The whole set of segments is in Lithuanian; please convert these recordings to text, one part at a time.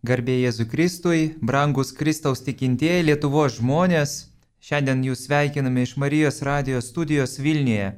Garbė Jėzui Kristui, brangus Kristaus tikintieji Lietuvos žmonės, šiandien jūs sveikiname iš Marijos radijos studijos Vilniuje.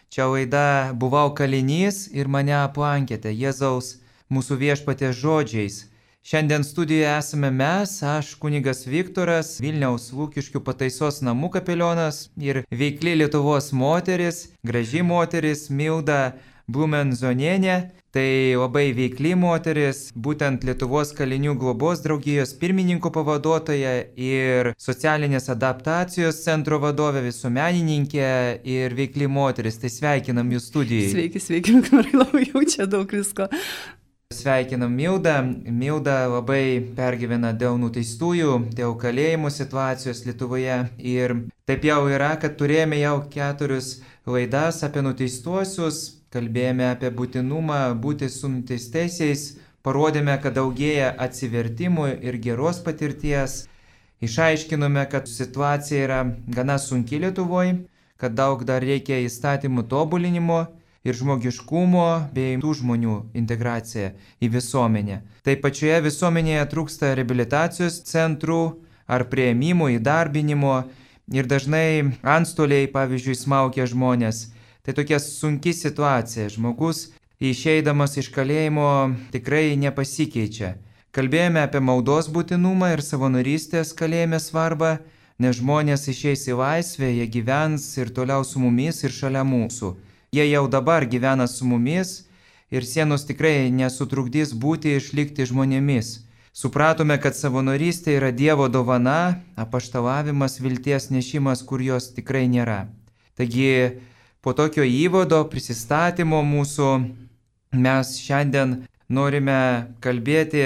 Čia laida Buvau kalinys ir mane aplankėte Jėzaus mūsų viešpaties žodžiais. Šiandien studijoje esame mes, aš kunigas Viktoras, Vilniaus Lūkiškių pataisos namų kapelionas ir veikli Lietuvos moteris, graži moteris Milda Blumenzonienė. Tai labai veikli moteris, būtent Lietuvos kalinių globos draugijos pirmininko pavaduotoja ir socialinės adaptacijos centro vadovė, visuomenininkė ir veikli moteris. Tai sveikinam jūs studijai. Sveiki, Viktorai, labai jaučia daug visko. Sveikinam Mildą. Milda labai pergyvena dėl nuteistųjų, dėl kalėjimų situacijos Lietuvoje. Ir taip jau yra, kad turėjome jau 4 laidas apie nuteistuosius. Kalbėjome apie būtinumą būti su nuteistaisiais, parodėme, kad daugėja atsivertimų ir geros patirties, išaiškinome, kad situacija yra gana sunki Lietuvoje, kad daug dar reikia įstatymų tobulinimo ir žmogiškumo bei tų žmonių integracija į visuomenę. Taip pačioje visuomenėje trūksta reabilitacijos centrų ar priėmimų, įdarbinimo ir dažnai antstoliai, pavyzdžiui, smaugia žmonės. Tai tokia sunki situacija. Žmogus išeidamas iš kalėjimo tikrai nepasikeičia. Kalbėjome apie maldos būtinumą ir savanorystės kalėjime svarbą, nes žmonės išeis į laisvę, jie gyvens ir toliau su mumis ir šalia mūsų. Jie jau dabar gyvena su mumis ir sienos tikrai nesutrukdys būti išlikti žmonėmis. Supratome, kad savanorystė yra Dievo dovana, apaštalavimas, vilties nešimas, kur jos tikrai nėra. Taigi, po tokio įvado, prisistatymo mūsų, mes šiandien norime kalbėti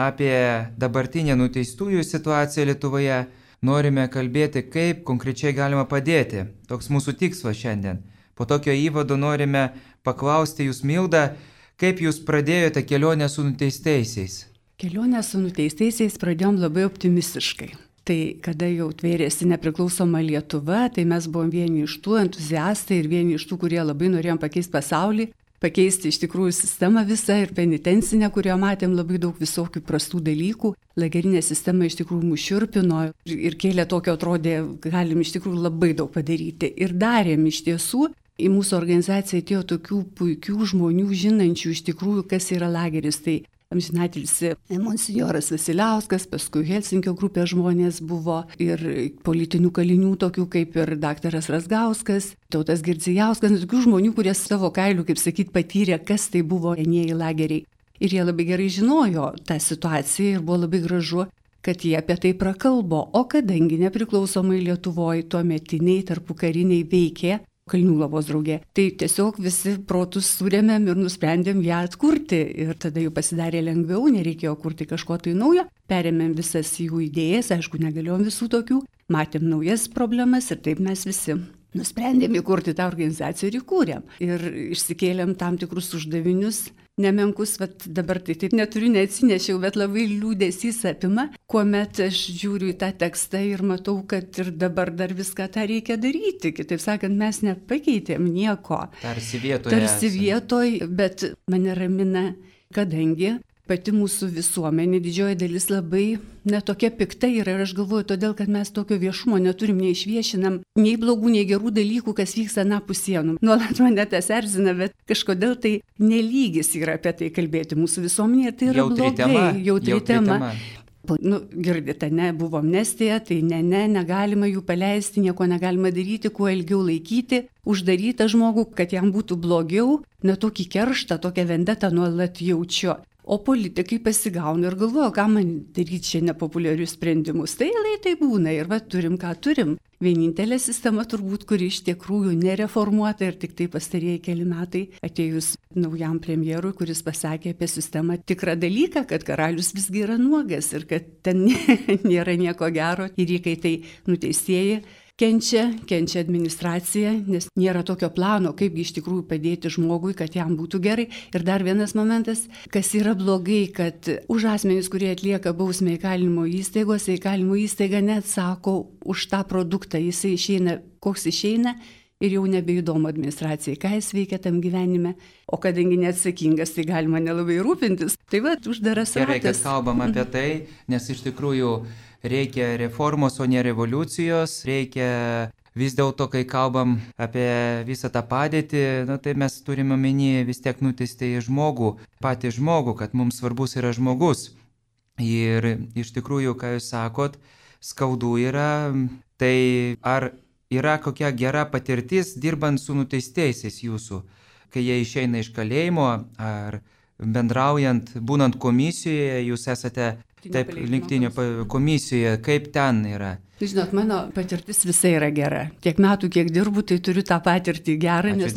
apie dabartinę nuteistųjų situaciją Lietuvoje, norime kalbėti, kaip konkrečiai galima padėti. Toks mūsų tikslas šiandien. Po tokio įvado norime paklausti jūs, Milda, kaip jūs pradėjote kelionę su nuteistaisiais? Kelionę su nuteistaisiais pradėjom labai optimistiškai. Tai kada jau tvėrėsi nepriklausoma Lietuva, tai mes buvom vieni iš tų entuziastai ir vieni iš tų, kurie labai norėjom pakeisti pasaulį, pakeisti iš tikrųjų sistemą visą ir penitencinę, kurioje matėm labai daug visokių prastų dalykų. Lagerinė sistema iš tikrųjų mus šiurpino ir kėlė tokio, atrodė, galim iš tikrųjų labai daug padaryti. Ir darėm iš tiesų. Į mūsų organizaciją atėjo tokių puikių žmonių, žinančių iš tikrųjų, kas yra lageris. Tai amžinatilsį monsinjoras Vasiliauskas, paskui Helsinkio grupė žmonės buvo ir politinių kalinių, tokių kaip ir daktaras Razgauskas, Tautas Girdzijauskas, tokių žmonių, kurie savo kailių, kaip sakyt, patyrė, kas tai buvo enieji lageriai. Ir jie labai gerai žinojo tą situaciją ir buvo labai gražu, kad jie apie tai prakalbo. O kadangi nepriklausomai Lietuvoje tuometiniai tarpukariniai veikė Kalinių globos draugė, tai tiesiog visi protus surėmėm ir nusprendėm ją atkurti. Ir tada jau pasidarė lengviau, nereikėjo kurti kažko tai naujo. Perėmėm visas jų idėjas, aišku, negalėjom visų tokių, matėm naujas problemas ir taip mes visi nusprendėm įkurti tą organizaciją ir įkūrėm. Ir išsikėlėm tam tikrus uždavinius, nemenkus, dabar tai taip neturiu, neatsinešiau, bet labai liūdesys apima, kuomet aš žiūriu į tą tekstą ir matau, kad ir dabar dar viską tą reikia daryti. Kitaip sakant, mes nepakeitėm nieko. Tarsi vietoj, bet mane ramina, kadangi pati mūsų visuomenė, didžioji dalis labai netokia pikta yra ir aš galvoju, todėl, kad mes tokio viešumo neturim, neišviešinam nei blogų, nei gerų dalykų, kas vyksta anapus sienų. Nuolat mane tas erzina, bet kažkodėl tai nelygis yra apie tai kalbėti mūsų visuomenėje, tai yra jautri tema. Girdite, buvo amnestija, tai negalima jų paleisti, nieko negalima daryti, kuo ilgiau laikyti, uždarytą žmogų, kad jam būtų blogiau, tokį kerštą, tokią vendetą nuolat jaučiu. O politikai pasigauna ir galvoja, ką man daryti čia nepopuliarius sprendimus. Tai tai būna ir turim, ką turim. Vienintelė sistema turbūt, kuri iš tikrųjų nereformuota ir tik tai pastarieji keli metai atėjus naujam premjerui, kuris pasakė apie sistemą tikrą dalyką, kad karalius visgi yra nuogas ir kad ten nėra nieko gero ir įkaitai nuteistieji kenčia administracija, nes nėra tokio plano, kaip iš tikrųjų padėti žmogui, kad jam būtų gerai. Ir dar vienas momentas, kas yra blogai, kad už asmenys, kurie atlieka bausmę įkalinimo įstaigose, įkalinimo įstaiga neatsako už tą produktą. Jisai išeina, koks išeina, ir jau nebeįdomu administracijai, ką jis veikia tam gyvenime, o kadangi neatsakingas, tai galima nelabai rūpintis. Tai va, uždaras ratas. Gerai, kad kalbam apie tai, nes iš tikrųjų reikia reformos, o ne revoliucijos, reikia vis dėlto, kai kalbam apie visą tą padėtį, tai mes turime omenyje vis tiek nuteisti į žmogų, patį žmogų, kad mums svarbus yra žmogus. Ir iš tikrųjų, ką jūs sakot, skaudu yra, tai ar yra kokia gera patirtis dirbant su nuteistaisiais jūsų, kai jie išeina iš kalėjimo ar bendraujant, būnant komisijoje, jūs esate taip Linktinio komisijoje, kaip ten yra? Žinot, mano patirtis visai yra gera. Tiek metų, kiek dirbu, tai turiu tą patirtį gerą, nes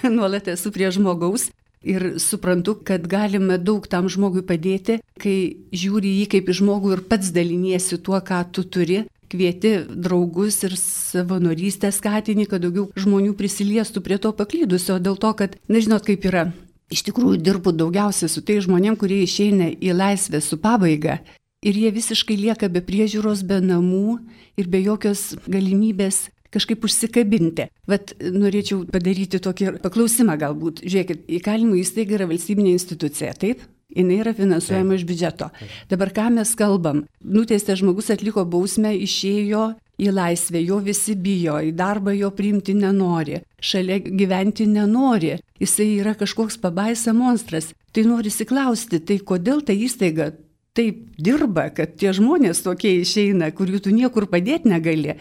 nuolat esu prie žmogaus. Ir suprantu, kad galime daug tam žmogui padėti, kai žiūri jį kaip į žmogų ir pats daliniesi tuo, ką tu turi, kvieti draugus ir savanorystę skatini, kad daugiau žmonių prisiliestų prie to paklydusio, dėl to, kad, nežinot, kaip yra. Iš tikrųjų dirbu daugiausiai su tai žmonėm, kurie išeina į laisvę su pabaiga ir jie visiškai lieka be priežiūros, be namų ir be jokios galimybės kažkaip užsikabinti. Vat norėčiau padaryti tokį paklausimą galbūt. Žiūrėkit, įkalinimo įstaiga yra valstybinė institucija, taip? Jis yra finansuojama iš biudžeto. Dabar ką mes kalbam? Nuteistas žmogus atliko bausmę, išėjo į laisvę, jo visi bijo, į darbą jo priimti nenori, šalia gyventi nenori, jisai yra kažkoks pabaisa monstras. Tai norisi klausti, tai kodėl ta įstaiga taip dirba, kad tie žmonės tokie išeina, kurių tu niekur padėti negali.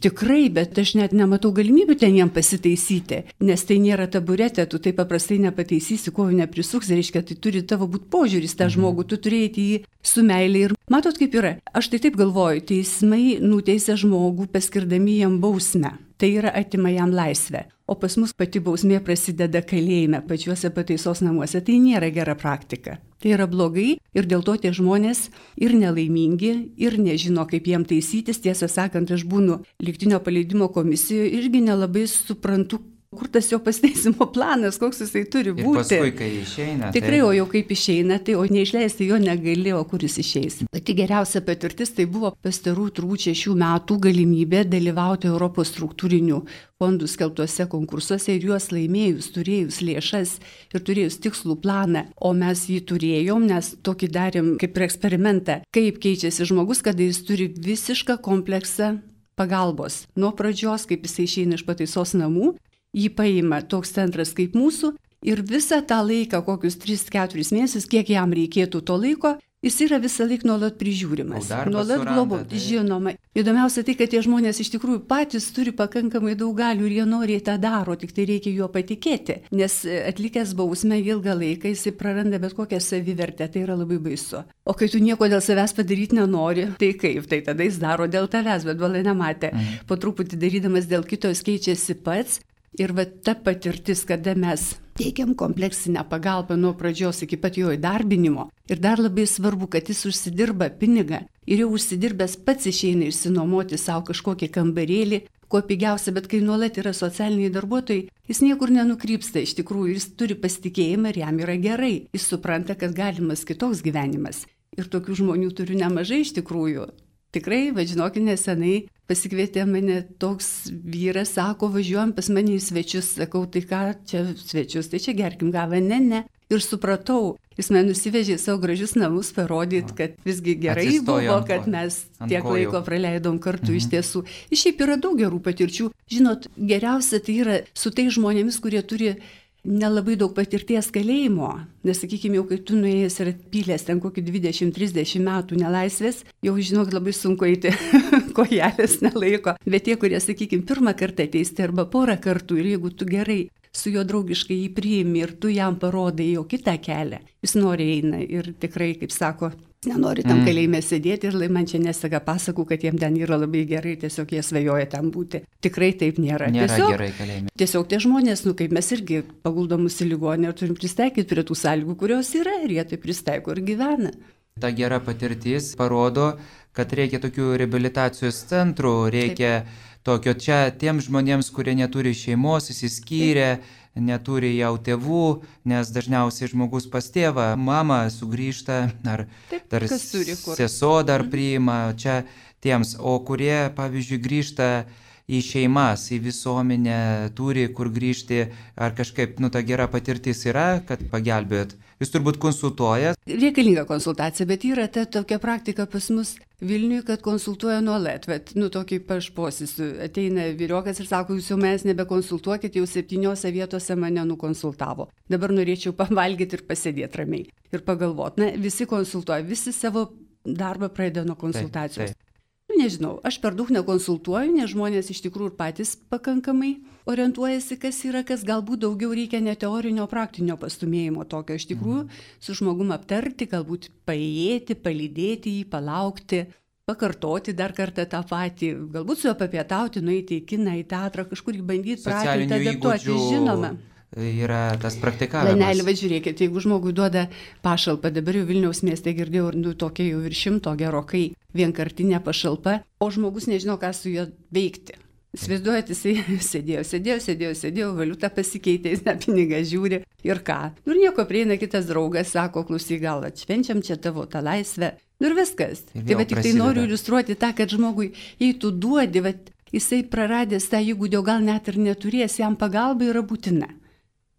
Tikrai, bet aš net nematau galimybių ten jiem pasitaisyti, nes tai nėra taburetė, tu taip paprastai nepataisysi, ko neprisuks, reiškia, tai turi tavo būti požiūris tą žmogų, tu turėti jį su meilė ir matot kaip yra. Aš tai taip galvoju, teismai nuteisia žmogų paskirdami jam bausmę. Tai yra atima jam laisvę. O pas mus pati bausmė prasideda kalėjime, pačiuose pataisos namuose. Tai nėra gera praktika. Tai yra blogai ir dėl to tie žmonės ir nelaimingi, ir nežino, kaip jiem taisytis. Tiesą sakant, aš būnu Lygtinio paleidimo komisijoje irgi nelabai suprantu, kur tas jo pasiteisimo planas, koks jisai turi būti. Ir paskui, kai išeina. Tikrai, o jau kaip išeina, tai o neišleisti jo negali, o kur jis išeis. Pati geriausia patirtis tai buvo pastarų turbūt 6 metų galimybė dalyvauti Europos struktūrinių fondų skelbtuose konkursuose ir juos laimėjus, turėjus lėšas ir turėjus tikslų planą. O mes jį turėjom, nes tokį darėm kaip ir eksperimentą, kaip keičiasi žmogus, kada jis turi visišką kompleksą pagalbos. Nuo pradžios, kaip jisai išeina iš pataisos namų, jį paima toks centras kaip mūsų ir visą tą laiką, kokius 3-4 mėnesius, kiek jam reikėtų to laiko, jis yra visą laiką nuolat prižiūrimas. Nuolat globot, žinoma. Įdomiausia tai, kad tie žmonės iš tikrųjų patys turi pakankamai daug galių ir jie noriai tą daro, tik tai reikia juo patikėti. Nes atlikęs bausmę ilgą laiką jis praranda bet kokią savivertę, tai yra labai baisu. O kai tu nieko dėl savęs padaryti nenori, tai kaip? Tai tada jis daro dėl tavęs, bet valai nematė. Po truputį darydamas dėl kito jis keičiasi pats. Ir va ta patirtis, kada mes teikiam kompleksinę pagalbą nuo pradžios iki pat jo įdarbinimo. Ir dar labai svarbu, kad jis užsidirba pinigą ir jau užsidirbęs pats išeina išsinuomoti savo kažkokį kambarėlį, kuo pigiausia, bet kai nuolat yra socialiniai darbuotojai, jis niekur nenukrypsta iš tikrųjų, jis turi pasitikėjimą ir jam yra gerai. Jis supranta, kad galimas kitoks gyvenimas. Ir tokių žmonių turiu nemažai iš tikrųjų. Tikrai, žinokit, nesenai pasikvietė mane toks vyras, sako, važiuojam pas mane į svečius, sakau, tai ką čia svečius, tai čia gerkim gavą, ne. Ir supratau, jis man nusivežė savo gražius namus, parodyt, kad visgi gerai buvo, kad mes tiek laiko praleidom kartu iš tiesų. Ir šiaip yra daug gerų patirčių. Žinot, geriausia tai yra su tai žmonėmis, kurie turi nelabai daug patirties kalėjimo, nes, sakykime, jau kai tu nuėjęs ir atpylęs ten kokį 20-30 metų nelaisvės, jau žinok, labai sunku eiti, kojelės nelaiko. Bet tie, kurie, sakykime, pirmą kartą ateisti arba porą kartų ir jeigu tu gerai su juo draugiškai jį priimi ir tu jam parodai jo kitą kelią, jis nori eina ir tikrai, kaip sako, nenori tam kalėjime sėdėti ir man čia nesaka pasakų, kad jiem ten yra labai gerai, tiesiog jie svajoja tam būti. Tikrai taip nėra. Nėra gerai kalėjime. Tiesiog tie žmonės, kaip mes irgi paguldomus į ligoninę ir turim pristaikyti prie tų sąlygų, kurios yra ir jie tai pristaiko ir gyvena. Ta gera patirtis parodo, kad reikia tokių reabilitacijos centrų, reikia tokio čia tiems žmonėms, kurie neturi šeimos, įsiskyrę, neturi jau tėvų, nes dažniausiai žmogus pas tėvą, mama sugrįžta, ar dar sesuo dar priima čia tiems, o kurie, pavyzdžiui, grįžta į šeimas, į visuomenę, turi kur grįžti, ar kažkaip, ta gera patirtis yra, kad pagelbėt. Jūs turbūt konsultuojat? Reikalinga konsultacija, bet yra tokia praktika pas mus Vilniuje, kad konsultuoja nuolat. Tokį pašposis ateina vyriokas ir sako, jūs jau mes nebekonsultuokit, jau 7 vietose mane nukonsultavo. Dabar norėčiau pavalgyti ir pasėdėti ramiai. Ir pagalvoti, visi konsultuoja, visi savo darbą pradeda nuo konsultacijos. Taip. Nežinau, aš per daug nekonsultuoju, nes žmonės iš tikrųjų ir patys pakankamai orientuojasi, kas yra, kas galbūt daugiau reikia ne teorinio, praktinio pastumėjimo tokio. Iš tikrųjų, su žmogum aptarti, galbūt paėjėti, palydėti jį, palaukti, pakartoti dar kartą tą patį, galbūt su juo papietauti, nueiti į kiną, į teatrą, kažkur bandyti pratinti, adaptuoti, žinoma. Yra tas praktikavimas. Lanelį, žiūrėkit, jeigu žmogui duoda pašalpą, dabar jau Vilniaus mieste girdėjau ir tokia jau virš 100 gerokai vienkartinė pašalpa, o žmogus nežino, ką su juo veikti. Įsivaizduojat, jisai sėdėjo, valiuta pasikeitė, jis pinigą žiūri ir ką. Ir nieko prieina kitas draugas, sako, klausyk, gal atšvenčiam čia tavo tą laisvę. Ir viskas. Tai tik tai noriu iliustruoti tą, kad žmogui, jei tu duodi, jisai praradęs tą įgūdį, gal net ir neturės, jam pagalba yra būtina.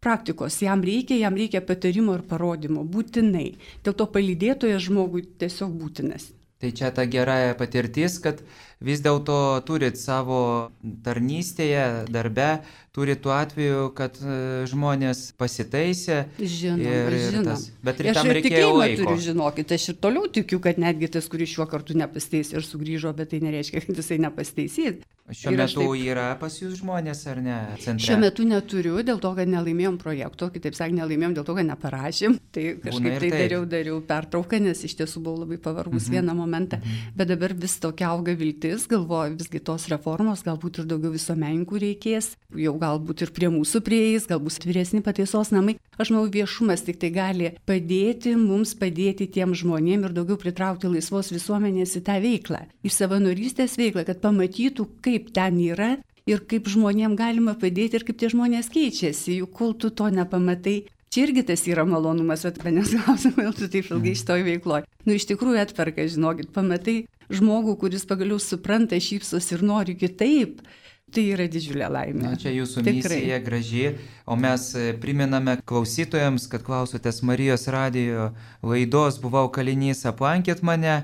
Praktikos, jam reikia patarimo ir parodymo, būtinai. Dėl to palydėtojas žmogui tiesiog būtinas. Tai čia ta gera patirtis, kad vis dėlto turit savo tarnystėje, darbe, turit tuo atveju, kad žmonės pasitaisė. Žinoma. Bet ir tam reikėjo laiko. Turiu, žinokit, aš ir toliau tikiu, kad netgi tas, kuris šiuo kartu nepasteisė ir sugrįžo, bet tai nereiškia, kad jisai nepasteisys. Šiuo metu yra pas jūs žmonės, ar ne? Centre? Šiuo metu neturiu, dėl to, kad nelaimėjom projekto, kitaip sakant, nelaimėjom dėl to, kad neparašėm. Tai kažkaip dariau pertrauką, nes iš tiesų buvau labai pavargus vieną momentą. Bet dabar vis tokia auga viltis, galvoju, visgi tos reformos, galbūt ir daugiau visuomenininkų reikės, jau galbūt ir prie mūsų prieis, galbūt vyresni pataisos namai. Aš manau, viešumas tik tai gali padėti mums, padėti tiem žmonėm ir daugiau pritraukti laisvos visuomenės į tą veiklą, į savanorystės veiklą, kad pamatytų, kaip ten yra ir kaip žmonėm galima padėti ir kaip tie žmonės keičiasi, juk kol tu to nepamatai. Čia irgi tas yra malonumas, bet manęs klausimai, tu taip ilgai šitoj veikloj. Iš tikrųjų atperka, žinokit, pamatai žmogų, kuris pagaliau supranta, šypsos ir nori kitaip. Tai yra didžiulė laimė. Čia jūsų misija graži, o mes priminame klausytojams, kad klausotės Marijos radijo laidos Buvau kalinys, aplankėt mane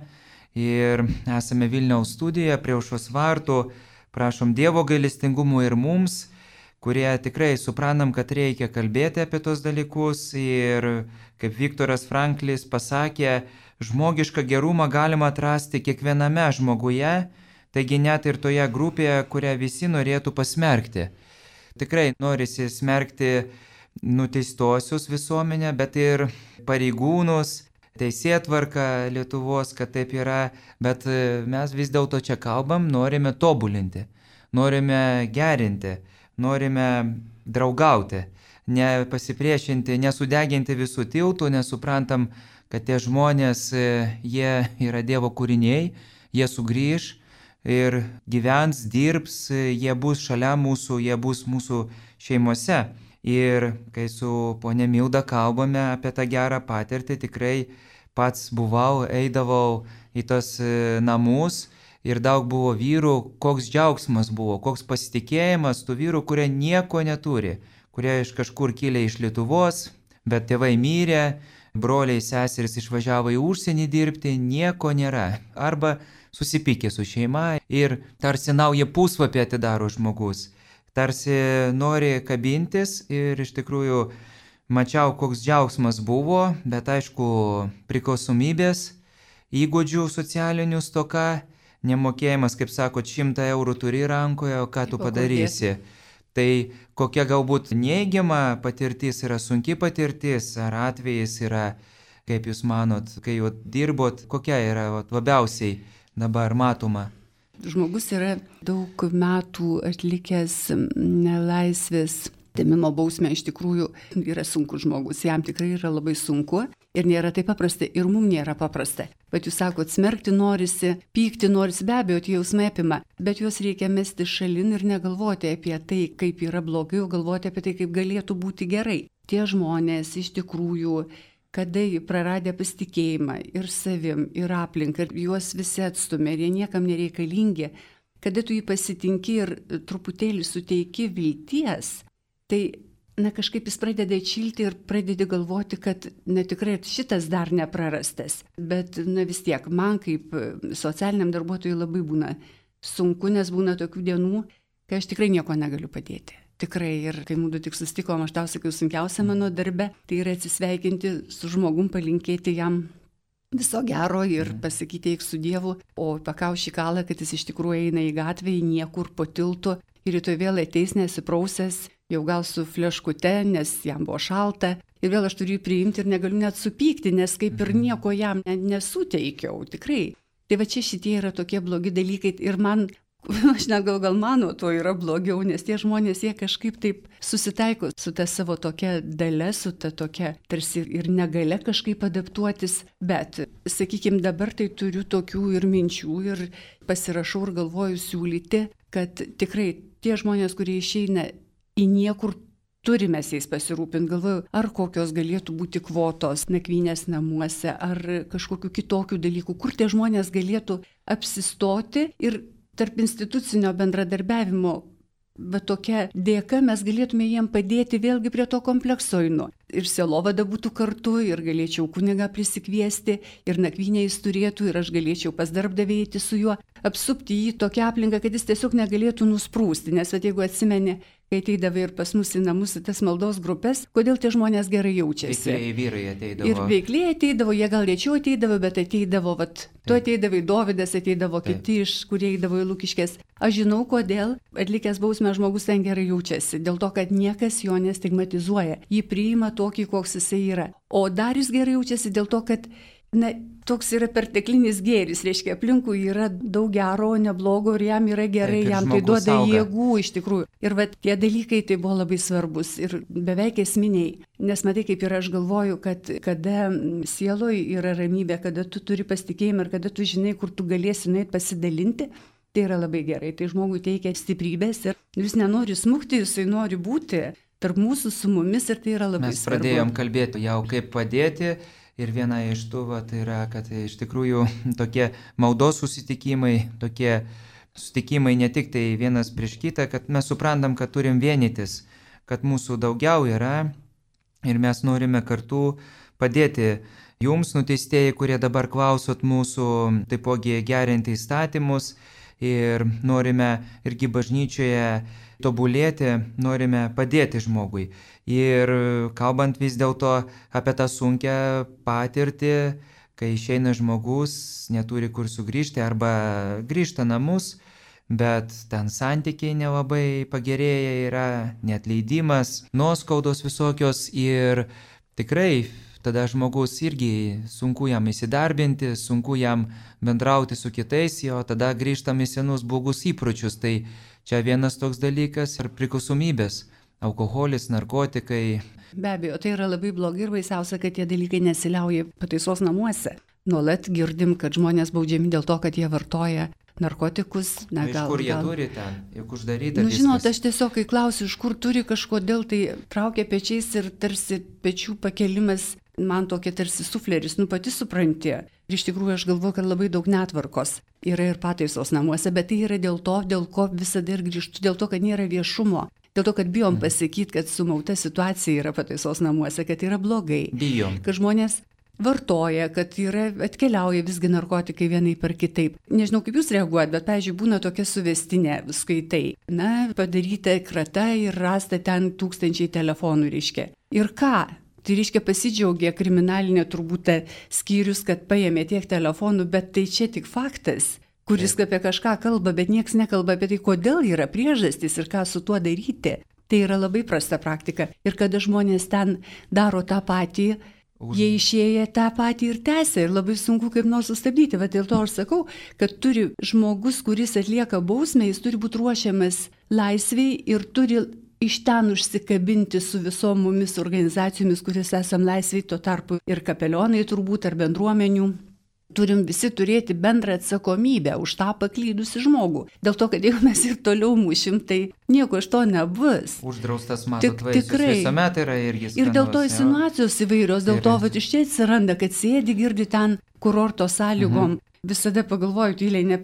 ir esame Vilniaus studijoje prie Aušros vartų. Prašom Dievo gailestingumo ir mums, kurie tikrai suprantam, kad reikia kalbėti apie tos dalykus ir, kaip Viktoras Franklis pasakė, žmogišką gerumą galima atrasti kiekviename žmoguje, taigi net ir toje grupėje, kurią visi norėtų pasmerkti. Tikrai norisi smerkti nuteistosius visuomenę, bet ir pareigūnus, teisėtvarką Lietuvos, kad taip yra, bet mes vis dėlto čia kalbam, norime tobulinti, norime gerinti, norime draugauti, nepasipriešinti, nesudeginti visų tiltų, nesuprantam, kad tie žmonės, jie yra Dievo kūriniai, jie sugrįž ir gyvens, dirbs, jie bus šalia mūsų, jie bus mūsų šeimose. Ir kai su ponia Milda kalbame apie tą gerą patirtį, tikrai pats buvau, eidavau į tos namus ir daug buvo vyrų, koks džiaugsmas buvo, koks pasitikėjimas tų vyrų, kurie nieko neturi, kurie iš kažkur kilė iš Lietuvos, bet tėvai mirė, broliai seserys išvažiavo į užsienį dirbti, nieko nėra. Arba susipykė su šeima ir tarsi naują puslapį atidaro žmogus. Tarsi nori kabintis ir iš tikrųjų mačiau, koks džiaugsmas buvo, bet aišku, priklausomybės, įgūdžių socialinių stoka, nemokėjimas, kaip sakot, 100 eurų turi rankoje, o ką tu padarysi. Tai kokia galbūt neigiama patirtis yra, sunki patirtis, ar atvejis yra, kaip jūs manot, kai jau dirbot, kokia yra labiausiai dabar matoma? Žmogus yra daug metų atlikęs nelaisvės atėmimo bausmę, iš tikrųjų yra sunkus žmogus, jam tikrai yra labai sunku ir nėra taip paprasta ir mums nėra paprasta. Bet jūs sakot, smerkti norisi, pykti norisi, be abejo, tie jausmai apima, bet juos reikia mesti šalin ir negalvoti apie tai, kaip yra blogai, o galvoti apie tai, kaip galėtų būti gerai. Tie žmonės iš tikrųjų, kada praradę pasitikėjimą ir savim, ir aplinką, ir juos visi atstumė, ir jie niekam nereikalingi, kada tu jį pasitinki ir truputėlį suteiki vilties, tai kažkaip jis pradeda atšilti ir pradedi galvoti, kad tikrai šitas dar neprarastas. Bet vis tiek, man kaip socialiniam darbuotojui labai būna sunku, nes būna tokių dienų, kai aš tikrai nieko negaliu padėti. Tikrai, ir kai mūdu tik susitikom, aš tau sakiau, sunkiausia mano darbe, tai yra atsisveikinti su žmogum, palinkėti jam viso gero ir pasakyti eik su Dievu, o pakaušį kalą, kad jis iš tikrųjų eina į gatvę, į niekur po tiltu ir rytoj vėl ateis nesiprausęs, jau gal su fleškute, nes jam buvo šalta. Ir vėl aš turiu jį priimti ir negaliu net supykti, nes kaip ir nieko jam nesuteikiau, tikrai. Tai va čia šitie yra tokie blogi dalykai ir man, aš net gal mano, to yra blogiau, nes tie žmonės, jie kažkaip taip susitaiko su ta savo tokia dalia, su ta tokia tarsi ir negale kažkaip adaptuotis. Bet, sakykime, dabar tai turiu tokių ir minčių ir pasirašau ir galvoju siūlyti, kad tikrai tie žmonės, kurie išeina į niekur, turime jais pasirūpinti. Galvoju, ar kokios galėtų būti kvotos nakvynės namuose, ar kažkokių kitokių dalykų, kur tie žmonės galėtų apsistoti ir tarp institucinio bendradarbiavimo, bet tokia dėka mes galėtume jiem padėti vėlgi prie to komplekso einu. Ir sielovada būtų kartu, ir galėčiau kunigą prisikviesti, ir nakvynę jis turėtų, ir aš galėčiau pas darbdavį eiti su juo, apsupti jį tokią aplinką, kad jis tiesiog negalėtų nusprūsti. Nes jeigu atsimeni, kai ateidavai ir pas mus į namus į tas maldos grupės, kodėl tie žmonės gerai jaučiasi. Veikliai vyrai ateidavo. Ir veikliai ateidavo, jie gal lėčiau ateidavo, bet ateidavo, tu ateidavai, Dovydas ateidavo, kiti iš, kurie eidavo į Lukiškės. Aš žinau, kodėl atlikęs bausmę žmogus ten gerai jaučiasi. Dėl to, kad niekas jo nestigmatizuoja. Jį priima tokį, koks jisai yra. O dar jis gerai jaučiasi dėl to, kad toks yra perteklinis gėris, reiškia, aplinkui yra daug gero, neblogo ir jam yra gerai, jam tai duoda jėgų iš tikrųjų. Ir tie dalykai tai buvo labai svarbus ir beveik esminiai. Nes matai, kaip ir aš galvoju, kad kada sieloje yra ramybė, kada tu turi pasitikėjimą ir kada tu žinai, kur tu galėsi nueiti pasidalinti, tai yra labai gerai. Tai žmogui teikia stiprybės ir jis nenori smukti, jisai nori būti tarp mūsų su mumis ir tai yra labai svarbu. Mes pradėjom kalbėti jau kaip padėti. Ir viena iš tų, tai yra, kad iš tikrųjų tokie maldos susitikimai, tokie susitikimai ne tik tai vienas prieš kitą, kad mes suprantam, kad turim vienytis, kad mūsų daugiau yra ir mes norime kartu padėti jums, nuteistieji, kurie dabar klausot mūsų, taipogi gerinti įstatymus ir norime irgi bažnyčioje tobulėti, norime padėti žmogui. Ir kalbant vis dėlto apie tą sunkią patirtį, kai išeina žmogus, neturi kur sugrįžti arba grįžta namus, bet ten santykiai nelabai pagerėja, yra neatleidimas, nuoskaudos visokios ir tikrai tada žmogus irgi sunku jam įsidarbinti, sunku jam bendrauti su kitais, jo tada grįžtam į senus blogus įpročius. Tai čia vienas toks dalykas ir priklausomybės. Alkoholis, narkotikai. Be abejo, tai yra labai blogai ir baisiausia, kad tie dalykai nesiliauja pataisos namuose. Nuolat girdim, kad žmonės baudžiami dėl to, kad jie vartoja narkotikus. Iš kur jie turi ten? Juk uždaryta viskas. Žinot, aš tiesiog, kai klausiu, iš kur turi kažkodėl, tai traukia pečiais ir tarsi pečių pakelimas, man tokia tarsi sufleris, pati supranti. Ir iš tikrųjų aš galvoju, kad labai daug netvarkos yra ir pataisos namuose, bet tai yra dėl to, dėl ko visada ir grįžtu, dėl to, kad nėra viešumo. Dėl to, kad bijom pasakyti, kad sumauta situacija yra pataisos namuose, kad yra blogai. Bijom. Kad žmonės vartoja, kad atkeliauja visgi narkotikai vienai per kitaip. Nežinau, kaip jūs reaguojat, bet, pavyzdžiui, būna tokia suvestinė, skaitai. Padaryta krata ir rasta ten 1000 telefonų, reiškia. Ir ką? Tai reiškia pasidžiaugia kriminalinė turbūt skyrius, kad paėmė tiek telefonų, bet tai čia tik faktas, kuris apie kažką kalba, bet nieks nekalba apie tai, kodėl yra priežastys ir ką su tuo daryti. Tai yra labai prasta praktika. Ir kada žmonės ten daro tą patį, jie išėję tą patį ir tęsia. Ir labai sunku kaip nors sustabdyti. Va dėl to aš sakau, kad turi žmogus, kuris atlieka bausmę, jis turi būti ruošiamas laisviai ir turi iš ten užsikabinti su visom mumis organizacijomis, kuris esam laisviai, tuo tarpu ir kapelionai turbūt ar bendruomenių. Turim visi turėti bendrą atsakomybę už tą paklydusi žmogų. Dėl to, kad jeigu mes ir toliau mušim, tai nieko iš to nebus. Uždraustas matot vaisius visuomet yra irgi skanus. Ir dėl to insinuacijos įvairios, dėl to iš čia atsiranda, kad sėdi, girdi ten kurorto sąlygom. Visada pagalvoju, tyliai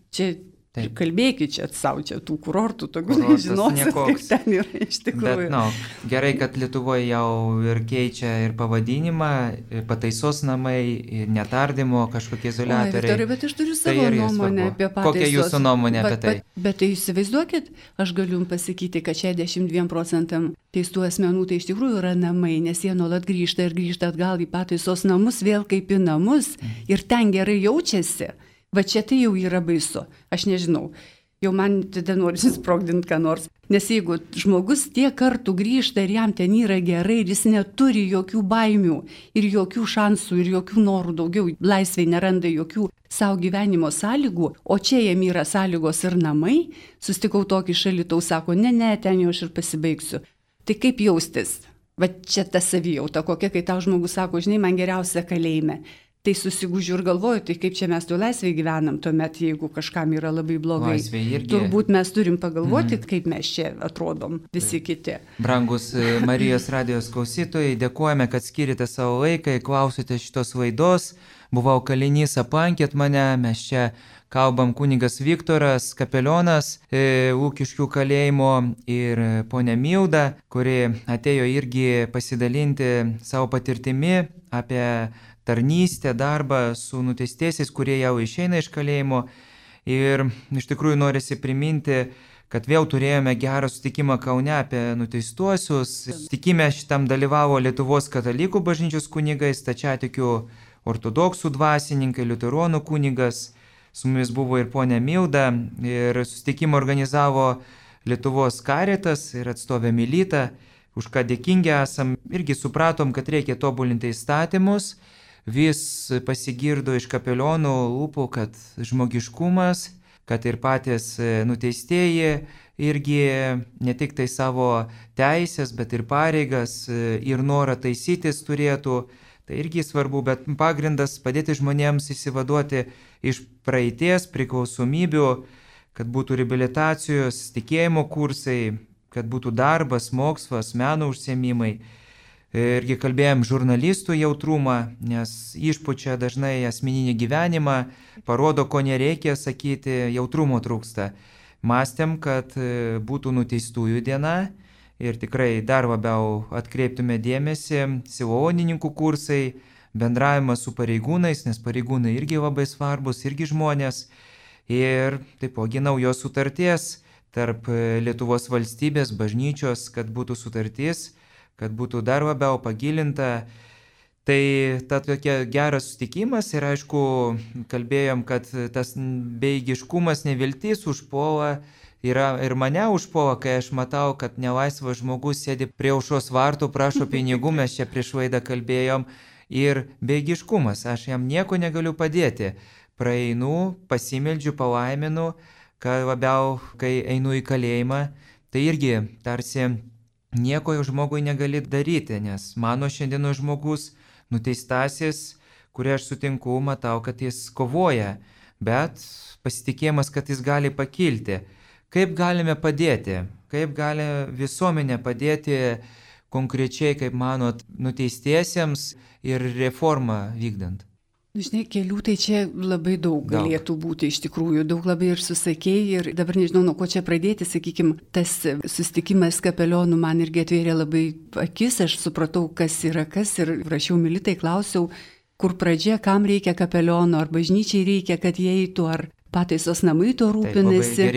čia Taip. Kalbėkit čia savo, čia tų kurortų, tokių nežinosit, kaip ten yra iš tikrųjų. Bet, gerai, kad Lietuvoje jau ir keičia ir pavadinimą, ir pataisos namai, ir netardymo kažkokie izoliatoriai. Viktorai, bet aš turiu savo nuomonę apie pataisos. Kokia jūsų nuomonė apie tai? Bet tai įsivaizduokit, aš galiu jums pasakyti, kad 62% teistų asmenų tai iš tikrųjų yra namai, nes jie nuolat grįžta ir grįžta atgal į pataisos namus, vėl kaip į namus ir ten gerai jaučiasi. Va čia tai jau yra baisu, aš nežinau, jau man tada norisi sprogdinti ką nors, nes jeigu žmogus tiek kartų grįžta ir jam ten yra gerai ir jis neturi jokių baimių ir jokių šansų ir jokių norų daugiau, laisvėj neranda jokių savo gyvenimo sąlygų, o čia jam yra sąlygos ir namai, sustikau tokį Alytaus, sako, ne, ten jau aš ir pasibaigsiu. Tai kaip jaustis? Va čia ta savijauta, kokia, kai tau žmogus sako, žinai, man geriausia kalėjime. Tai susigūžiu ir galvoju, tai kaip čia mes tu laisvėje gyvenam tuomet, jeigu kažkam yra labai blogai. Turbūt mes turim pagalvoti, kaip mes čia atrodom visi kiti. Brangus Marijos radijos klausytojai, dėkojame, kad skirite savo laiką, klausote šitos laidos. Buvau kalinys, aplankėt mane, mes čia kalbam kunigas Viktoras Kapelionas, Ūkiškių kalėjimo ir ponia Milda, kuri atėjo irgi pasidalinti savo patirtimi apie tarnystę, darbą su nuteistaisiais, kurie jau išeina iš kalėjimo. Ir iš tikrųjų norisi priminti, kad vėl turėjome gerą sutikimą Kaune apie nuteistuosius. Sutikime šitam dalyvavo Lietuvos katalikų bažnyčios kunigai, stačiatikių ortodoksų dvasininkai, liuteronų kunigas. Su mumis buvo ir ponia Milda. Ir susitikimą organizavo Lietuvos Karitas ir atstovė Milita. Už ką dėkingi esam. Irgi supratom, kad reikia tobulinti įstatymus. Vis pasigirdo iš kapelionų lūpų, kad žmogiškumas, kad ir patys nuteistieji irgi ne tik tai savo teisės, bet ir pareigas ir norą taisytis turėtų. Tai irgi svarbu, bet pagrindas padėti žmonėms įsivaduoti iš praeities priklausomybių, kad būtų reabilitacijos, tikėjimo kursai, kad būtų darbas, mokslas, meno užsiėmimai. Irgi kalbėjom žurnalistų jautrumą, nes išpučia dažnai asmeninį gyvenimą, parodo, ko nereikia sakyti, jautrumo trūksta. Mąstėm, kad būtų nuteistųjų diena ir tikrai dar labiau atkreiptume dėmesį, sielovadininkų kursai, bendravimas su pareigūnais, nes pareigūnai irgi labai svarbus, irgi žmonės. Ir taipogi naujos sutarties tarp Lietuvos valstybės, bažnyčios, kad būtų sutartis, kad būtų dar labiau pagilinta. Tai ta tokia geras sutikimas ir aišku, kalbėjom, kad tas bejėgiškumas, neviltis užpuola yra ir mane užpuola, kai aš matau, kad nelaisvas žmogus sėdi prie aušros vartų, prašo pinigų, mes čia prieš laidą kalbėjom, ir bejėgiškumas, aš jam nieko negaliu padėti. Praeinu, pasimeldžiu, palaiminu, kad labiau, kai einu į kalėjimą, tai irgi tarsi nieko jau žmogui negali daryti, nes mano šiandieno žmogus, nuteistasis, kurį aš sutinku, matau, kad jis kovoja, bet pasitikėjimas, kad jis gali pakilti. Kaip galime padėti? Kaip gali visuomenė padėti konkrečiai, kaip manot, nuteistiesiems ir reformą vykdant? Žinai, kelių tai čia labai daug galėtų būti iš tikrųjų, daug labai ir susakėjai ir dabar nežinau, nuo ko čia pradėti, sakykime, tas susitikimas kapelionų man irgi atvėrė labai akis, aš supratau, kas yra kas ir rašiau Militai, klausiau, kur pradžia, kam reikia kapeliono, ar bažnyčiai reikia, kad jie eitų, ar pataisos namai to rūpinasi.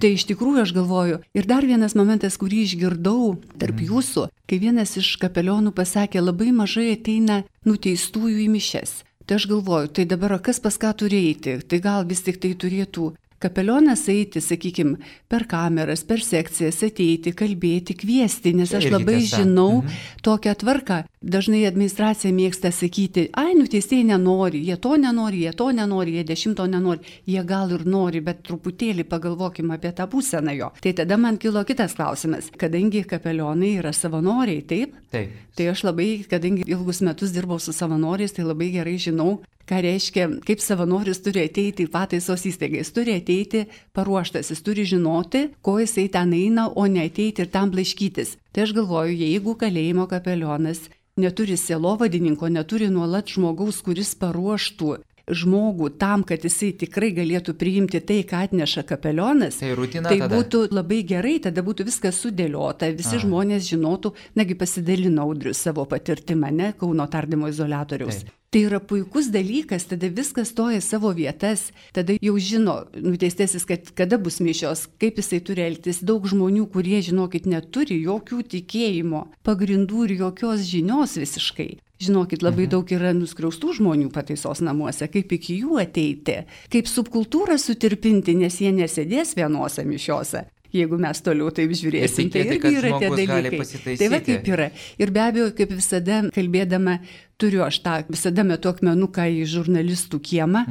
Tai iš tikrųjų aš galvoju. Ir dar vienas momentas, kurį išgirdau tarp jūsų, kai vienas iš kapelionų pasakė, labai mažai ateina nuteistųjų į mišias. Tai aš galvoju, tai dabar kas pas ką turi eiti? Tai gal vis tik tai turėtų kapelionas eiti, sakykime, per kameras, per sekcijas, ateiti, kalbėti, kviesti, nes aš labai žinau tokią tvarką. Dažnai administracija mėgsta sakyti, nuteistieji nenori, jie to nenori, jie 10 nenori, jie gal ir nori, bet truputėlį pagalvokime apie tą būseną jo. Tai tada man kilo kitas klausimas, kadangi kapelionai yra savanoriai, taip? Taip. Tai aš labai, kadangi ilgus metus dirbau su savanoriais, tai labai gerai žinau, ką reiškia, kaip savanoris turi ateiti į pataisos įstaigą. Jis turi ateiti paruoštas, jis turi žinoti, ko jisai ten eina, o ne ateiti ir tam blaškytis. Tai aš galvoju, jeigu kalėjimo kapelionas neturi sielovadininko, neturi nuolat žmogaus, kuris paruoštų žmogų tam, kad jisai tikrai galėtų priimti tai, ką atneša kapelionas, Tai rutina tai tada? būtų labai gerai, tada būtų viskas sudėliota, visi žmonės žinotų, nagi pasidalino Audrius savo patirtimą, ne, Kauno tardymo izoliatoriaus. Taip. Tai yra puikus dalykas, tada viskas stoja savo vietas, tada jau žino nuteistasis, kad kada bus mišios, kaip jisai turi elgtis. Daug žmonių, kurie, žinokit, neturi jokių tikėjimo pagrindų ir jokios žinios visiškai. Žinokit, labai daug yra nuskriaustų žmonių pataisos namuose, kaip iki jų ateiti, kaip subkultūrą sutirpinti, nes jie nesėdės vienose mišiose. Jeigu mes toliau taip žiūrėsim, tai irgi yra tie dalykai. Tai va kaip yra. Ir be abejo, kaip visada kalbėdama, turiu aš tą visada metu akmenuką į žurnalistų kiemą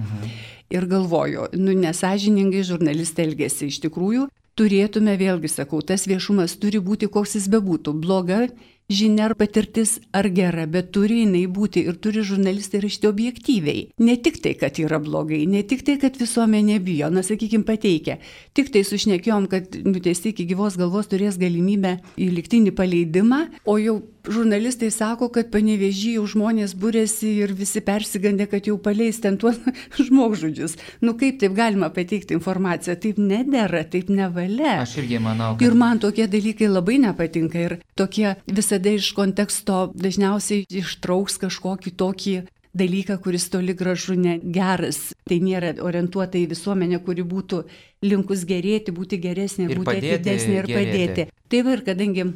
ir galvoju, nesąžiningai žurnalistai elgesi. Iš tikrųjų, turėtume, vėlgi sakau, tas viešumas turi būti, koks jis bebūtų. Bloga žinia ar patirtis ar gera, bet turi jinai būti ir turi žurnalistai rašyti objektyviai. Ne tik tai, kad yra blogai, ne tik tai, kad visuomenė bijo, sakykime, pateikia. Tik tai sušnekėjom, kad nuteisti iki gyvos galvos turės galimybę į lygtinį paleidimą, o jau žurnalistai sako, kad Panevėžyje jau žmonės būrėsi ir visi persigandė, kad jau paleis ten tuos žmogžudžius. Kaip taip galima pateikti informaciją? Taip nedera, taip nevalia. Aš irgi manau, kad... Ir man tokie dalykai labai nepatinka ir tokie visada iš konteksto dažniausiai ištrauks kažkokį tokį dalyką, kuris toli gražu negeras. Tai nėra orientuota į visuomenę, kuri būtų linkus gerėti, būti geresnė, būti atidesnė ir padėti. Tai va ir kadangi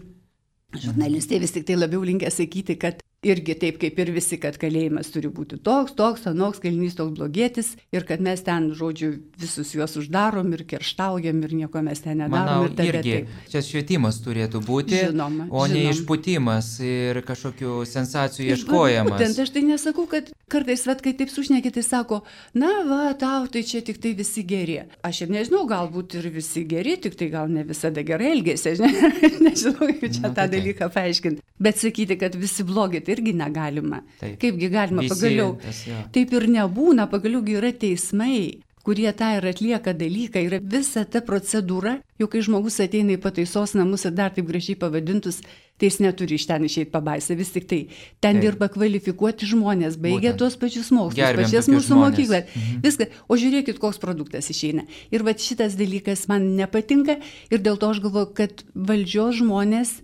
žurnalistai vis tik tai labiau linkę sakyti, kad irgi taip kaip ir visi, kad kalėjimas turi būti toks, anoks, kalinys toks blogietis ir kad mes ten, žodžiu, visus juos uždarom ir kerštaujam ir nieko mes ten nedarom. Manau, irgi čia švietimas turėtų būti, žinoma, o ne išpūtimas ir kažkokių sensacijų ieškojimas. Būtent, aš tai nesakau, kad kartais, kai taip sušneki, tai sako, na va, tau tai čia tik tai visi geri. Aš ir nežinau, galbūt ir visi geri, tik tai gal ne visada gerai elgėsi, nežinau, kaip čia tą dalyką paaiškinti. Bet sakyti, kad visi blogi, tai irgi negalima. Taip. Kaipgi galima, pagaliau. Taip ir nebūna, pagaliau yra teismai, kurie tą ir atlieka dalyką, yra visa ta procedūra, jau kai žmogus ateina į pataisos namus ir dar taip gražiai pavadintus, tai jis neturi iš ten išeiti pabaisą, vis tik tai ten dirba kvalifikuoti žmonės, baigia tuos pačius mokslus, pačias mūsų mokyklas, viską, o žiūrėkit, koks produktas išeina. Ir va šitas dalykas man nepatinka ir dėl to aš galvoju, kad valdžios žmonės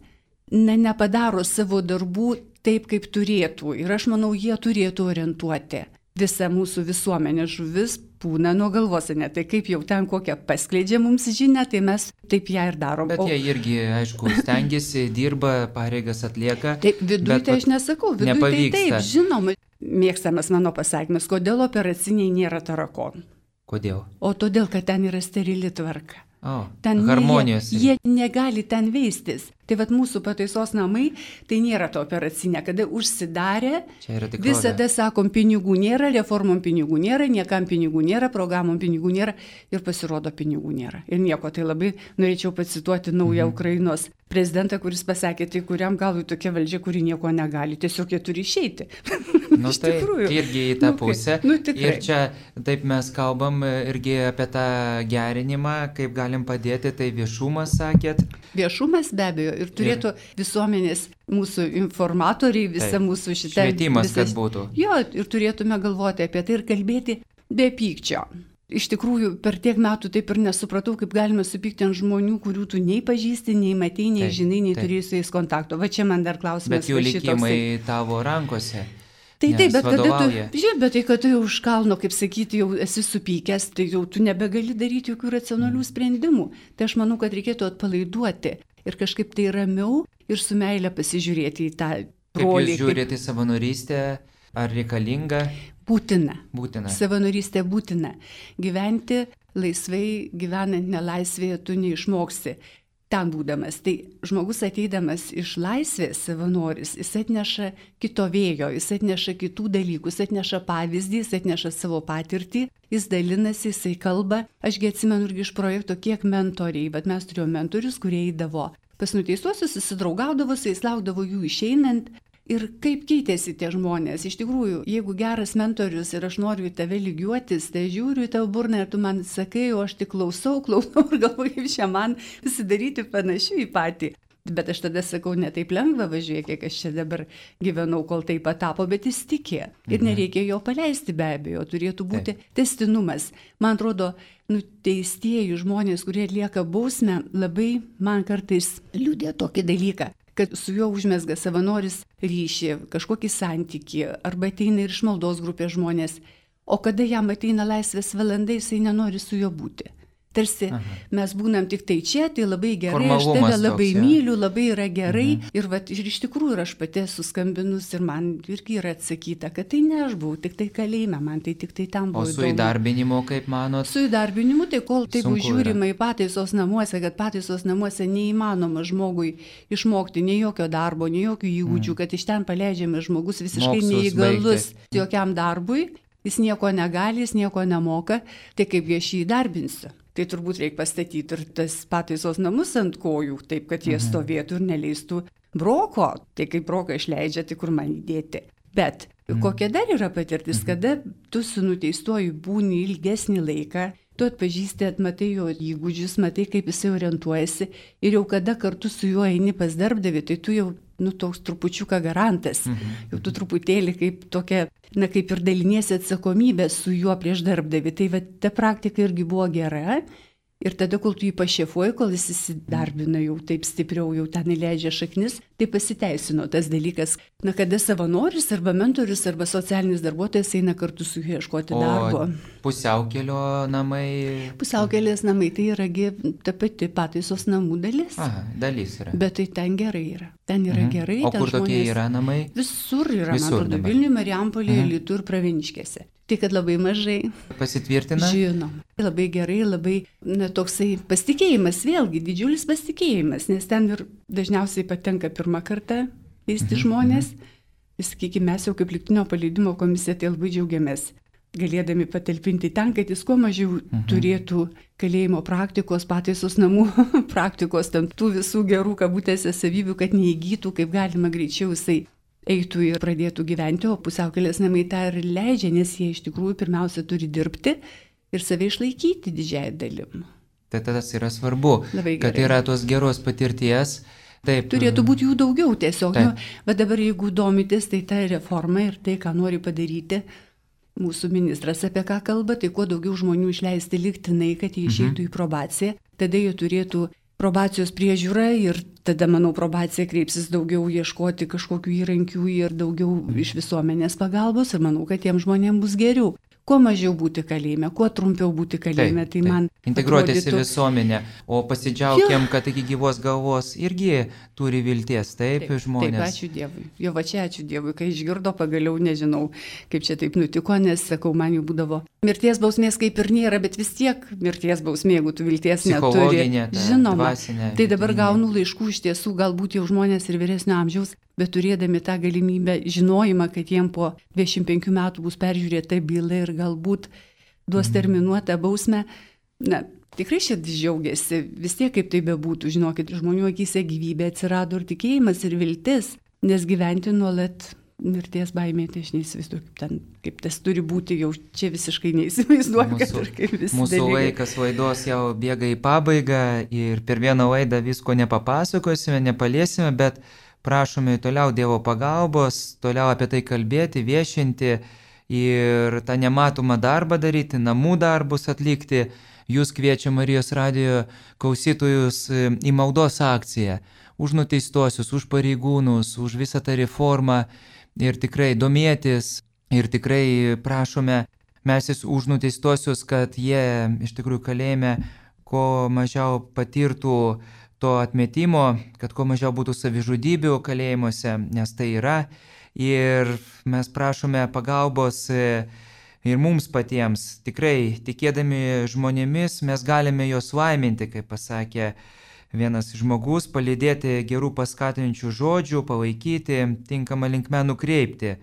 nepadaro savo darbų taip, kaip turėtų. Ir aš manau, jie turėtų orientuoti visą mūsų visuomenę. Žuvis pūna nuo galvos, ne? Tai kaip jau ten kokią paskleidžia mums žinią, tai mes taip ją ir darom. Bet jie irgi, aišku, stengiasi, dirba, pareigas atlieka. Taip, viduje tai aš nesakau, viduje tai taip, žinoma. Mėgstamas mano pasakymas, kodėl operaciniai nėra tarakonų. Kodėl? O todėl, kad ten yra sterili tvarka. Ten harmonijos. Jie negali ten veistis. Tai vat mūsų pataisos namai, tai nėra to operacinė, kada užsidarė, visada sakom, pinigų nėra, reformom pinigų nėra, niekam pinigų nėra, programom pinigų nėra ir pasirodo pinigų nėra. Ir nieko, tai labai norėčiau pacituoti naują Ukrainos prezidentą, kuris pasakė, tai kuriam galui tokia valdžia, kuri nieko negali, tiesiog jie turi išeiti. Tai irgi į tą pusę. Ir čia taip mes kalbam irgi apie tą gerinimą, kaip galim padėti, tai viešumas, sakėt. Viešumas be abejo ir turėtų visuomenės mūsų informatoriai, visa mūsų šitą... Švietimas, kad būtų. Jo, ir turėtume galvoti apie tai ir kalbėti be pykčio. Iš tikrųjų, per tiek metų taip ir nesupratau, kaip galima supykti ant žmonių, kurių tu nei pažįsti, nei matei, nei žinai, nei turėjai su jais kontakto. Va čia man dar klausimas. Bet jų likimai tavo rankose. Tai taip, bet tai kad tu jau už kalno, kaip sakyti, jau esi supykęs, tai jau tu nebegali daryti jokių racionalių sprendimų. Tai aš manau, kad reikėtų atpalaiduoti ir kažkaip tai ramiau ir su meile pasižiūrėti į tą brolį. Kaip jūs žiūrėte į savanorystę, ar reikalinga? Būtina. Būtina. Savanorystė būtina. Gyventi laisvai, gyvenant nelaisvėje, tu neišmoksi. Ten būdamas. Tai žmogus ateidamas iš laisvės savanoris, jis atneša kito vėjo, jis atneša kitų dalykų, jis atneša pavyzdį, jis atneša savo patirtį, jis dalinasi, jisai kalba. Ašgi atsimenu irgi iš projekto, kiek mentoriai, bet mes turėjome mentorius, kurie eidavo pas nuteistuosius, susidraugaudavo, su jais laukdavo jų išeinant. Ir kaip keitėsi tie žmonės. Iš tikrųjų, jeigu geras mentorius ir aš noriu į tave lygiuotis, tai žiūriu į tavo burną ir tu man sakai, o aš tik klausau ir galvoju, kaip čia man pasidaryti panašiu į patį. Bet aš tada sakau, ne taip lengva važiuoja, kiek aš čia dabar gyvenau, kol tai patapo, bet jis tikė. Ir nereikia jo paleisti be abejo, turėtų būti tęstinumas. Man atrodo, nuteistieji žmonės, kurie atlieka bausmę, labai man kartais liudė tokį dalyką, kad su juo užmesga savanoris ryšį, kažkokį santykį, arba ateina ir iš maldos grupės žmonės, o kada jam ateina laisvės valanda, jisai nenori su juo būti. Tarsi mes būnam tik tai čia, tai labai gerai, aš tave labai myliu, labai yra gerai. Ir iš tikrųjų aš pati suskambinus ir man irgi yra atsakyta, kad tai ne aš buvau, tik tai kalėjime, man tai tik tai tam buvo. O su įdarbinimu, kaip manot? Su įdarbinimu, tai kol taip žiūrima į pataisos namuose, kad pataisos namuose neįmanoma žmogui išmokti nei jokio darbo, nei jokių įgūdžių, kad iš ten paleidžiamas žmogus visiškai neįgalus jokiam darbui, jis nieko negali, jis nieko nemoka, tai kaip aš jį įdarbinsiu. Tai turbūt reikia pastatyti ir tas pataisos namus ant kojų, taip, kad jie stovėtų ir neleistų broko. Tai kaip broką išleidžia, tai kur man įdėti. Bet kokia dar yra patirtis, kada tu su nuteistuoju būni ilgesnį laiką, tu atpažįsti, atmatai jo įgūdžius, matai, kaip jisai orientuojasi ir jau kada kartu su juo eini pas darbdavį, tai tu jau toks trupučiuką garantas. Jau tu truputėlį kaip tokia, kaip ir daliniesi atsakomybę su juo prieš darbdavį. Tai ta praktika irgi buvo gera. Ir tada, kol tu jį pašefuoji, kol jis įsidarbina jau taip stipriau, jau ten įleidžia šaknis, tai pasiteisino tas dalykas. Kada savanoris arba mentorius arba socialinis darbuotojas eina kartu su juo ieškoti darbo. Pusiaukelio namai? Pusiaukelės namai tai yra ta pati pataisos namų dalis. Dalis yra. Bet tai ten gerai yra. Ten yra gerai. O kur tokie yra namai? Visur yra, man atrodo, Vilniuje, Marijampolėje, Alytuj ir Pravieniškėse. Tai kad labai mažai. Pasitvirtina? Žinom. Labai gerai, labai toksai pasitikėjimas, vėlgi didžiulis pasitikėjimas, nes ten ir dažniausiai patenka pirmą kartą teisti žmonės. Sakykime, mes jau kaip lygtinio paleidimo komisija tai labai džiaugiamės, galėdami patalpinti ten, kad jis kuo mažiau turėtų kalėjimo praktikos, pataisos namų praktikos, ten tų visų gerų kabutėse savybių, kad neįgytų, kaip galima greičiau jisai eitų ir pradėtų gyventi, o pusiaukelės namai tą ir leidžia, nes jie iš tikrųjų pirmiausia turi dirbti ir save išlaikyti didžiąją dalim. Tai tas yra svarbu, kad yra tos geros patirties. Taip. Turėtų būti jų daugiau tiesiog. Bet dabar jeigu domitės, tai ta reforma ir tai, ką nori padaryti mūsų ministras apie ką kalba, tai kuo daugiau žmonių išleisti lygtinai, kad jie išeitų į probaciją, tada jie turėtų probacijos priežiūra ir tada, manau, probacija kreipsis daugiau ieškoti kažkokių įrankių ir daugiau iš visuomenės pagalbos ir manau, kad tiem žmonėm bus geriau. Kuo mažiau būti kalėjime, kuo trumpiau būti kalėjime, tai man integruotis į visuomenę, o pasidžiaugiam, kad iki gyvos galvos irgi turi vilties, taip žmonės. Taip, ačiū Dievui. Jo, va čia ačiū Dievui, kai išgirdo pagaliau, nežinau, kaip čia taip nutiko, nes, sakau, man jau būdavo mirties bausmės kaip ir nėra, bet vis tiek mirties bausmė, jeigu tu vilties neturi. Žinoma, tai dabar gaunu laiškų iš tiesų, galbūt jau žmonės ir vyresnio amžiaus, bet turėdami tą galimybę, žinojimą, kad jiem po 25 metų bus peržiūrėta byla ir galbūt duos terminuotą bausmę, tikrai širdis džiaugiasi, vis tiek kaip tai bebūtų, žinokit, žmonių akyse gyvybė atsirado ir tikėjimas ir viltis, nes gyventi nuolat mirties baimė, tai aš neįsivaizduoju, kaip tas turi būti, jau čia visiškai neįsivaizduoju, kad ir kaip visi mūsų dalykai. laikas laidos jau bėga į pabaigą ir per vieną laidą visko nepapasakosime, nepaliesime, bet prašome toliau Dievo pagalbos, toliau apie tai kalbėti, viešinti ir tą nematomą darbą daryti, namų darbus atlikti. Jūs kviečia Marijos radijo klausytojus į maldos akciją už nuteistuosius, už pareigūnus, už visą tą reformą ir tikrai domėtis ir tikrai prašome melsis už nuteistuosius, kad jie iš tikrųjų kalėjime kuo mažiau patirtų to atmetimo, kad kuo mažiau būtų savižudybių kalėjimuose, nes tai yra. Ir mes prašome pagalbos ir mums patiems. Tikrai, tikėdami žmonėmis, mes galime juos laiminti, kaip pasakė vienas žmogus, palydėti gerų paskatinančių žodžių, palaikyti, tinkamą linkmę nukreipti.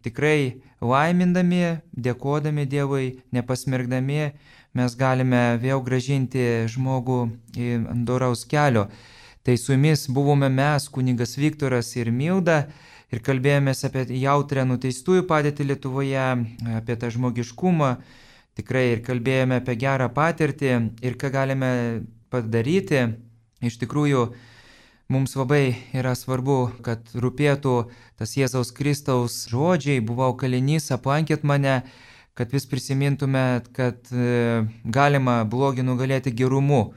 Tikrai laimindami, dėkodami Dievui, nepasmergdami, mes galime vėl gražinti žmogų į doraus kelio. Tai su jumis buvome mes, kunigas Viktoras ir Milda, ir kalbėjomės apie jautrią nuteistųjų padėtį Lietuvoje, apie tą žmogiškumą, tikrai ir kalbėjome apie gerą patirtį ir ką galime padaryti. Iš tikrųjų, mums labai yra svarbu, kad rūpėtų tas Jėzaus Kristaus žodžiai, buvau kalinys, aplankėt mane, kad vis prisimintumėt, kad galima blogį nugalėti gerumu.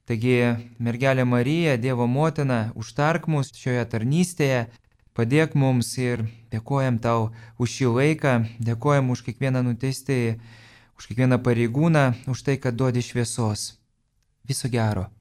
Taigi, mergelė Marija, Dievo motina, užtark mus šioje tarnystėje, padėk mums ir dėkojam tau už šį laiką, dėkojam už kiekvieną nuteistąjį, už kiekvieną pareigūną, už tai, kad duodi šviesos. Viso gero.